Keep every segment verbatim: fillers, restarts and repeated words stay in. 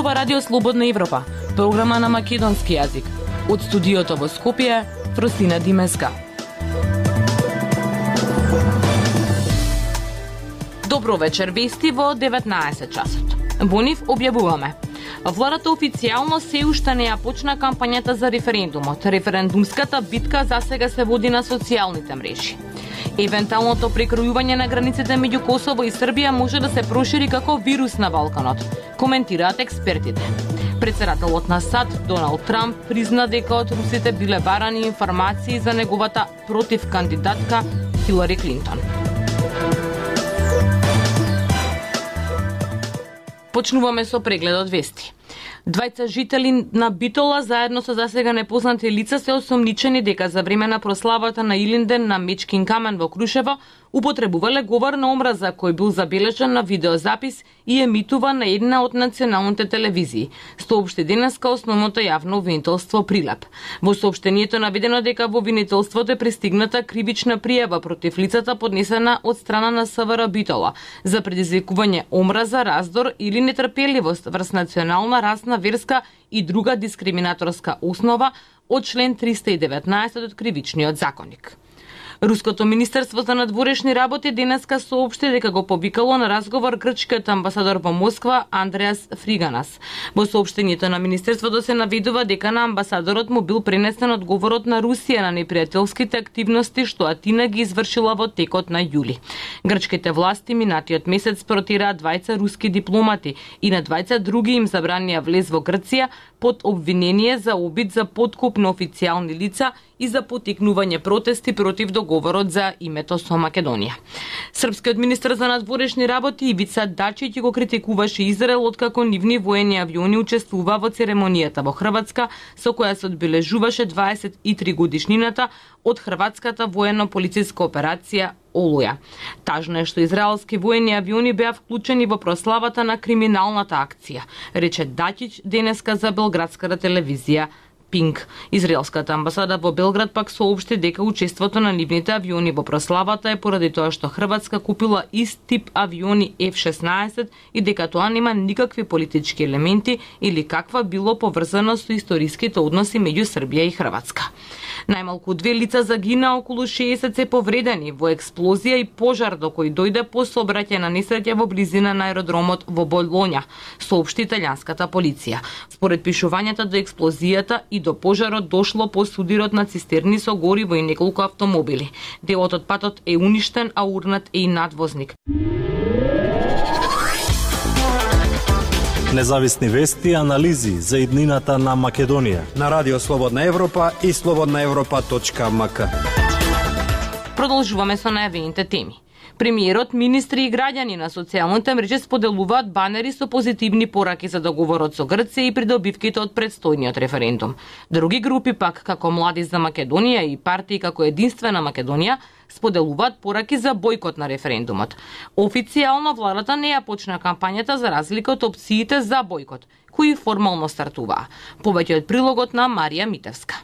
зборува Радио Слободна Европа, програма на македонски јазик. Од студиото во Скопје, Фросина Димеска. Добро вечер, вести во деветнаесет часот. Во нив објавуваме: владата официјално се уште не ја почна кампањата за референдумот. Референдумската битка засега се води на социјалните мрежи. Евентуалното прекројување на границите меѓу Косово и Србија може да се прошири како вирус на Балканот, коментираат експертите. Председателот на САД, Доналд Трамп, призна дека од русите биле барани информации за неговата против кандидатка Хилари Клинтон. Почнуваме со прегледот вести. Двајца жители на Битола заедно со засега непознати лица се осомничени дека за време на прославата на Илинден на Мечкин камен во Крушево употребувале говор на омраза кој бил забележан на видеозапис и емитува на една од националните телевизии, соопшти денеска основното јавно обвинителство Прилеп. Во соопштението наведено дека во обвинителството е пристигната кривична пријава против лицата поднесена од страна на СВР Битола за предизвикување омраза, раздор или нетрпеливост врз национална, расна, верска и друга дискриминаторска основа од член триста и деветнаесет од Кривичниот законник. Руското министерство за надворешни работи денеска соопшти дека го повикало на разговор грчкиот амбасадор во Москва Андреас Фриганас. Во соопштението на министерството се наведува дека на амбасадорот му бил пренесен одговорот на Русија на непријателските активности што Атина ги извршила во текот на јули. Грчките власти минатиот месец протираат двајца руски дипломати и на двајца други им забранија влез во Грција под обвинение за обид за подкуп на официјални лица и за потикнување протести против договорот за името со Македонија. Српскиот министер за надворешни работи Ивица Дачиќ го критикуваше Израел откако нивни воени авиони учествува во церемонијата во Хрватска со која се одбележуваше дваесет и три годишнината од хрватската воено-полициска операција Олуја. Тажно е што израелски воени авиони беа вклучени во прославата на криминалната акција, рече Дачиќ денеска за белградската телевизија Пинк. Израелската амбасада во Белград пак соопшти дека учеството на нивните авиони во прославата е поради тоа што Хрватска купила ист тип авиони Еф шеснаесет и дека тоа нема никакви политички елементи или каква било поврзано со историските односи меѓу Србија и Хрватска. Најмалку две лица загина, околу шеесет се повредени во експлозија и пожар до кој дојде по сообраќајна несреќа во близина на аеродромот во Болоња, соопшти италијанската полиција. Според пишувањата до експлозијата и до пожарот дошло по судирот на цистерни со гориво и неколку автомобили. Делот од патот е уништен, а урнат е и надвозник. Независни вести и анализи за иднината на Македонија на Радио Слободна Европа и слободна европа точка ем ка. Продолжуваме со најавените теми. Премиерот, министри и граѓани на социјалните мрежи споделуваат банери со позитивни пораки за договорот со Грција и придобивките од предстојниот референдум. Други групи пак, како Млади за Македонија и партии како Единствена Македонија, споделуваат пораки за бојкот на референдумот. Официјално владата не ја почна кампањата за разлика од опциите за бојкот, кои формално стартуваа. Повеќе од прилогот на Марија Митевска.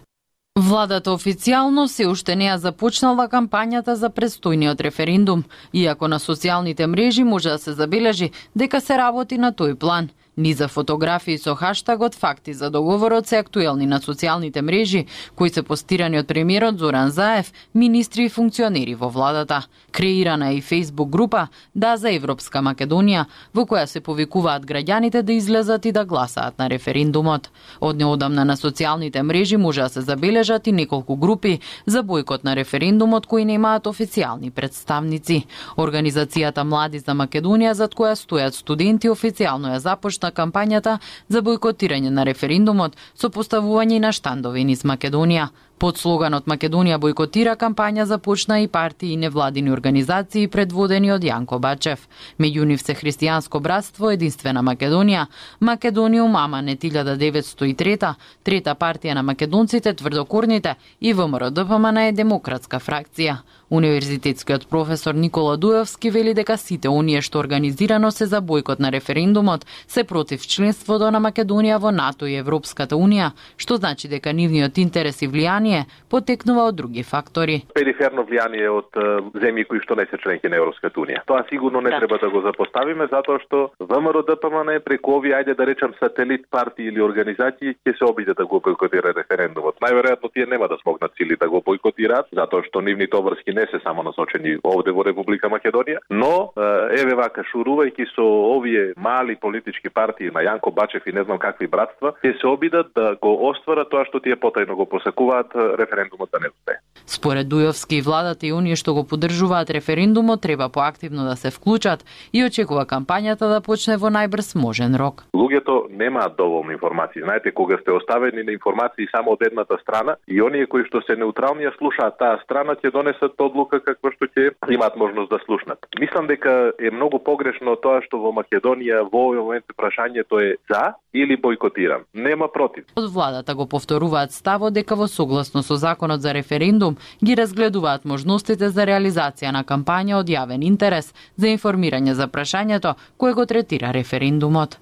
Владата официјално се уште не ја започнала кампањата за предстојниот референдум, иако на социјалните мрежи може да се забележи дека се работи на тој план. Низа фотографии со хаштагот "Факти за договорот" се актуелни на социјалните мрежи, кои се постирани од премиерот Зоран Заев, министри и функционери во владата. Креирана е и Facebook група "Да за Европска Македонија", во која се повикуваат граѓаните да излезат и да гласаат на референдумот. Од неодамна на социјалните мрежи може да се забележат и неколку групи за бојкот на референдумот кои немаат официјални представници. Организацијата Млади за Македонија, зад која стојат студенти, официјално ја започна кампањата за бојкотирање на референдумот со поставување на штандови низ Македонија. Под слоганот Македонија бојкотира кампања започна и партии и невладини организации предводени од Јанко Бачев. Меѓу нив се Христијанско братство, Единствена Македонија, Македониум Аманет илјада деветстотини и трета, Трета партија на македонците, Тврдокорните и ВМРО-ДПМН е демократска фракција. Универзитетскиот професор Никола Дуевски вели дека сите оние што организирано се за бојкот на референдумот се против членството на Македонија во НАТО и Европската Унија, што значи дека нивниот интерес и влијание влијание потекнува од други фактори. Периферно влијание од земји кои што не се членки на Европската унија. Тоа сигурно не да. треба да го запоставиме, затоа што ВМРО Д П М Н преку овие, ајде да речам, сателит партии или организации ќе се обиде да го бойкотира референдумот. Најверојатно тие нема да смогнат сили да го бойкотираат, затоа што нивните обврски не се само насочени овде во Република Македонија, но еве вака шурувајќи со овие мали политички партии на Јанко Бачев и не знам какви братства, ќе се обидат да го остварат тоа што тие потајно го посакуваат, референдумот да не успее. Според Дујовски, владата и оние што го поддржуваат референдумот треба поактивно да се вклучат и очекува кампањата да почне во најбрз можен рок. Луѓето немаат доволно информации. Знаете, кога сте оставени на информации само од едната страна и оние кои што се неутрални ја слушаат таа страна, ќе донесат одлука каква што ќе имаат можност да слушнат. Мислам дека е многу погрешно тоа што во Македонија во овој момент прашањето е за или бойкотирам. Нема против. Од владата го повторуваат ставот дека во согласно со законот за референдум ги разгледуваат можностите за реализација на кампања од јавен интерес за информирање за прашањето кое го третира референдумот.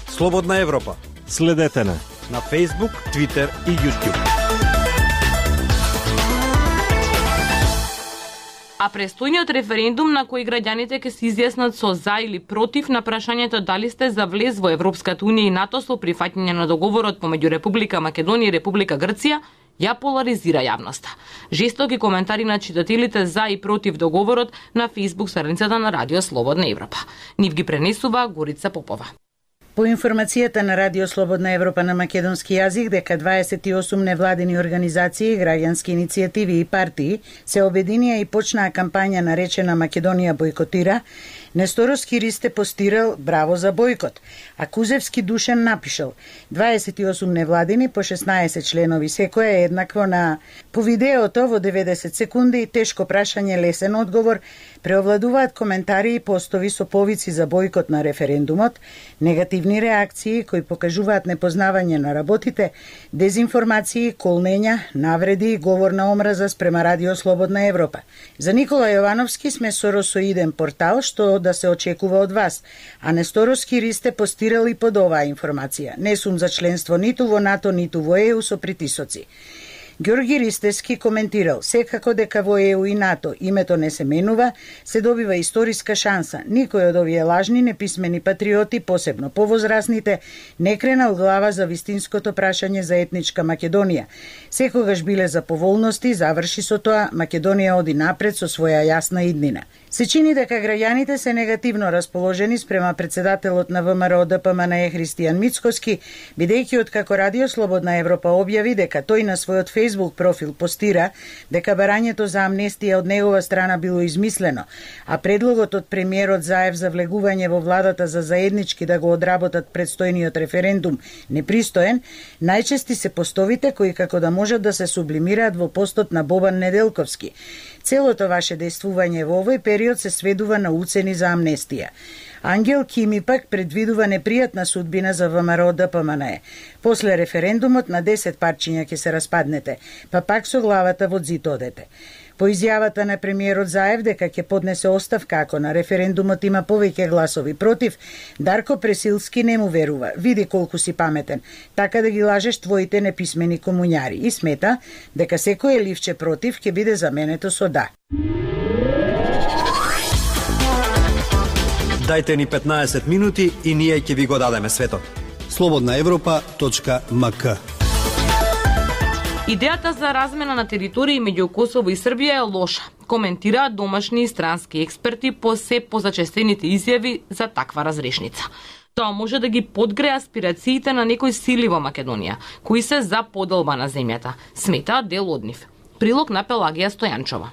Слободна Европа. Следете на на Facebook, Twitter и YouTube. А престојниот референдум на кој граѓаните ќе се изјаснат со за или против на прашањето дали сте за влез во Европската унија и НАТО со прифаќање на договорот помеѓу Република Македонија и Република Грција, ја поларизира јавноста. Жестоки коментари на читателите за и против договорот на Facebook страницата на Радио Слободна Европа. Нив ги пренесува Горица Попова. По информацијата на Радио Слободна Европа на македонски јазик дека дваесет и осум невладини организации, граѓански иницијативи и партии се обединија и почнаа кампања наречена Македонија бойкотира, Несторовски Ристе постирал браво за бойкот, а Кузевски Душан напишал дваесет и осум невладини по шеснаесет членови, секоја е еднакво на по видеото во деветдесет секунди, тешко прашање, лесен одговор, преовладуваат коментари и постови со повици за бойкот на референдумот, негативни реакции кои покажуваат непознавање на работите, дезинформации, колнења, навреди и говор на омраза спрема Радио Слободна Европа. За Никола Јовановски сме соросоиден портал што да се очекува од вас, а Несторовски Ристе постирал и под оваа информација. Не сум за членство ниту во НАТО, ниту во Е У со притисоци. Ѓорги Ристевски коментирал, секако дека во Е У и НАТО името не се менува, се добива историска шанса. Никој од овие лажни, неписмени патриоти, посебно повозрасните, не кренал глава за вистинското прашање за етничка Македонија. Секогаш биле за поволности, заврши со тоа, Македонија оди напред со своја јасна иднина. Се чини дека граѓаните се негативно расположени спрема председателот на В М Р О Д П М Н Е Христијан Мицкоски, бидејќи откако Радио Слободна Европа објави дека тој на својот Facebook профил постира дека барањето за амнестија од негова страна било измислено, а предлогот од премиерот Заев за влегување во владата за заеднички да го одработат предстојниот референдум непристоен, најчести се постовите кои како да можат да се сублимираат во постот на Бобан Неделковски. Целото ваше действување во овој период се сведува на уцени за амнестија. Ангел Кими пак предвидува непријатна судбина за В М Р О Д П М Н Е. После референдумот на десет парчиња ќе се распаднете, па пак со главата во зид одете. По изјавата на премиерот Заев дека ќе поднесе оставка ако на референдумот има повеќе гласови против, Дарко Пресилски не му верува. Види колку си паметен, така да ги лажеш твоите неписмени комуњари, и смета дека секое ливче против ќе биде заменето со да. Дајте ни петнаесет минути и ние ќе ви го дадеме светот. слободна европа точка м к. Идејата за размена на територии меѓу Косово и Србија е лоша, коментираат домашни и странски експерти по се позачестените изјави за таква разрешница. Тоа може да ги подгре аспирациите на некои сили во Македонија, кои се за поделба на земјата, сметаат дел од нив. Прилог на Пелагија Стојанчова.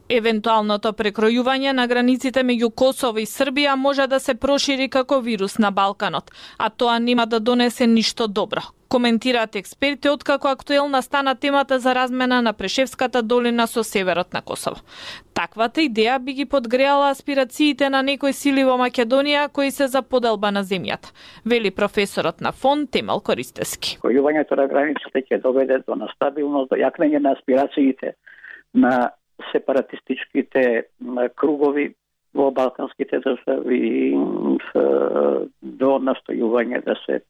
Евентуалното прекројување на границите меѓу Косово и Србија може да се прошири како вирус на Балканот, а тоа нема да донесе ништо добро. Коментираат експерти откако актуелна стана темата за размена на Прешевската долина со северот на Косово. Таквата идеја би ги подгреала аспирациите на некои сили во Македонија кои се за поделба на земјата, вели професорот на ФОН Темел Користевски. Којувањето на границите ќе доведе до настабилност, до јакнење на аспирациите на сепаратистичките кругови во балканските држави, до настојување да се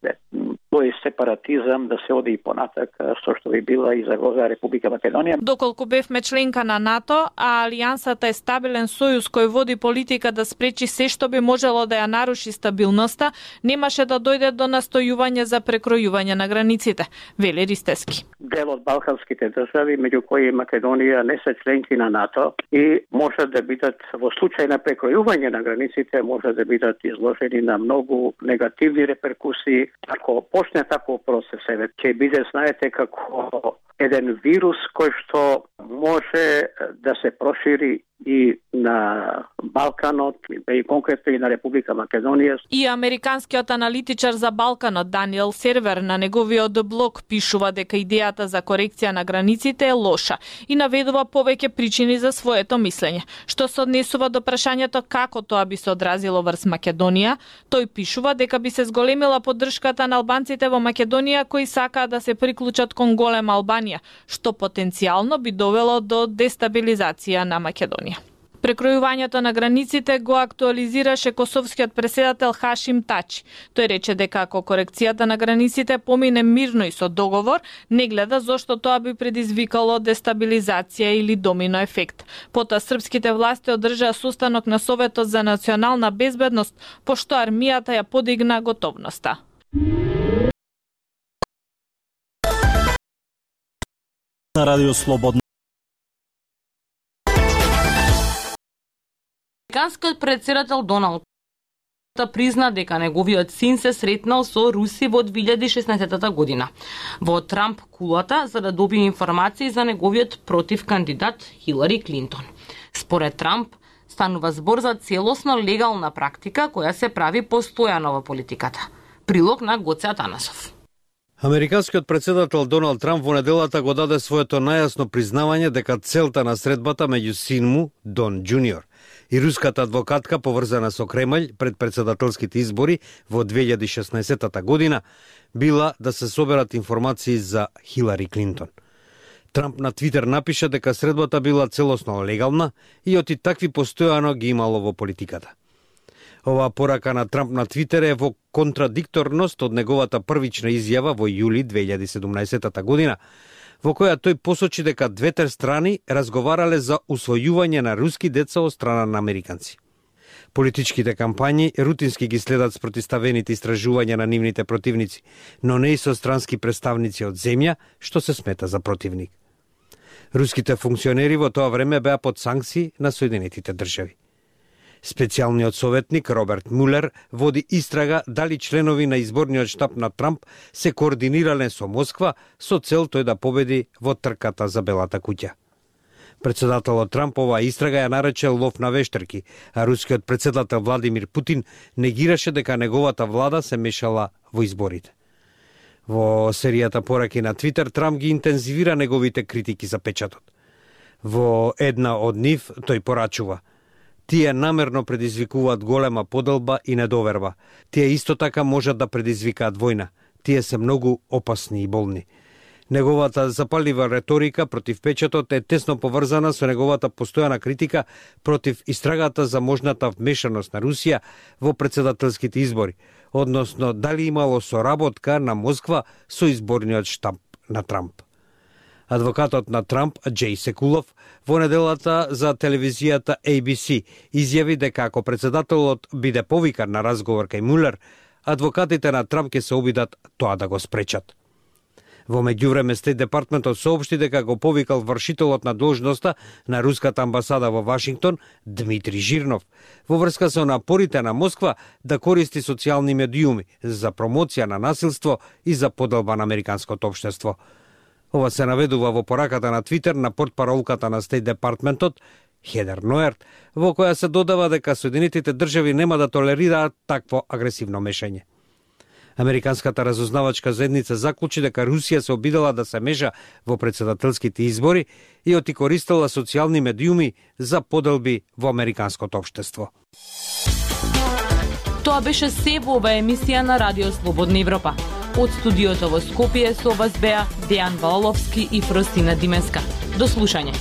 тој сепаратизам да се оди и понатак, со што би била и загроза Република Македонија. Доколку бевме членка на НАТО, а Алијансата е стабилен сојуз кој води политика да спречи се што би можело да ја наруши стабилноста, немаше да дојде до настојување за прекројување на границите, вели Ристевски. Дел од балканските држави, меѓу кои Македонија не се членки на НАТО и може да бидат во случај на прекројување на границите може да бидат изложени на многу негативни реперкусии. Ако почне таков процес, ќе биде, знаете, како еден вирус кој што може да се прошири и на Балканот, и конкретно и на Република Македонија. И американскиот аналитичар за Балканот Даниел Сервер на неговиот блог пишува дека идејата за корекција на границите е лоша и наведува повеќе причини за своето мислење. Што се однесува до прашањето како тоа би се одразило врз Македонија, тој пишува дека би се зголемила поддршката на албанците во Македонија кои сакаат да се приклучат кон голема Албанија, што потенцијално би довело до дестабилизација на Македонија. Прекројувањето на границите го актуализираше косовскиот преседател Хашим Тачи. Тој рече дека ако корекцијата на границите помине мирно и со договор, не гледа зошто тоа би предизвикало дестабилизација или домино ефект. Потоа српските власти одржаа состанок на Советот за национална безбедност, пошто армијата ја подигна готовноста. На Радио Слободна. Американскиот претседател Доналд призна дека неговиот син се сретнал со руси во две илјади и шеснаесетта година во Трамп кулата за да добие информации за неговиот против кандидат Хилари Клинтон. Според Трамп, станува збор за целосно легална практика која се прави постојано во политиката. Прилог на Гоце Атанасов. Американскиот претседател Доналд Трамп во неделата го даде своето најасно признавање дека целта на средбата меѓу син му, Дон Джуниор, и руската адвокатка поврзана со Кремљ пред претседателските избори во две илјади и шеснаесетта година била да се соберат информации за Хилари Клинтон. Трамп на Твитер напиша дека средбата била целосно легална и оти такви постојано ги имало во политиката. Оваа порака на Трамп на Твитер е во контрадикторност од неговата првична изјава во јули две илјади и седумнаесетта година, во која тој посочи дека двете страни разговарале за усвојување на руски деца од страна на американци. Политичките кампањи рутински ги следат спротивставените истражувања на нивните противници, но не и со странски представници од земја, што се смета за противник. Руските функционери во тоа време беа под санкции на Соединетите држави. Специјалниот советник Роберт Мулер води истрага дали членови на изборниот штаб на Трамп се координирале со Москва со цел тој да победи во трката за Белата куќа. Председателот Трамп оваа истрага ја нарече лов на вештерки, а рускиот председател Владимир Путин негираше дека неговата влада се мешала во изборите. Во серијата пораки на Твитер, Трамп ги интензивира неговите критики за печатот. Во една од нив тој порачува: тие намерно предизвикуваат голема поделба и недоверба. Тие исто така можат да предизвикаат војна. Тие се многу опасни и болни. Неговата запалива реторика против печатот е тесно поврзана со неговата постојана критика против истрагата за можната вмешаност на Русија во претседателските избори, односно дали имало соработка на Москва со изборниот штаб на Трамп. Адвокатот на Трамп, Џеј Секулов, во неделата за телевизијата А Б С изјави дека ако претседателот биде повикан на разговор кај Мулер, адвокатите на Трамп ќе се обидат тоа да го спречат. Во меѓувреме Стейт департментот соопшти дека го повикал вршителот на должноста на руската амбасада во Вашингтон, Дмитрий Жирнов, во врска со напорите на Москва да користи социјални медиуми за промоција на насилство и за поделба на американското општество. Ова се наведува во пораката на Твитер на портпаролката на Стейт департментот Хедер Ноерт, во која се додава дека Соединетите држави нема да толерираат такво агресивно мешање. Американската разузнавачка заедница заклучи дека Русија се обидела да се меша во претседателските избори и оти користела социјални медиуми за поделби во американското општество. Тоа беше се во оваа емисија на Радио Слободна Европа. Од студиото во Скопје со вас беа Дејан Валовски и Фростина Димеска. До слушање.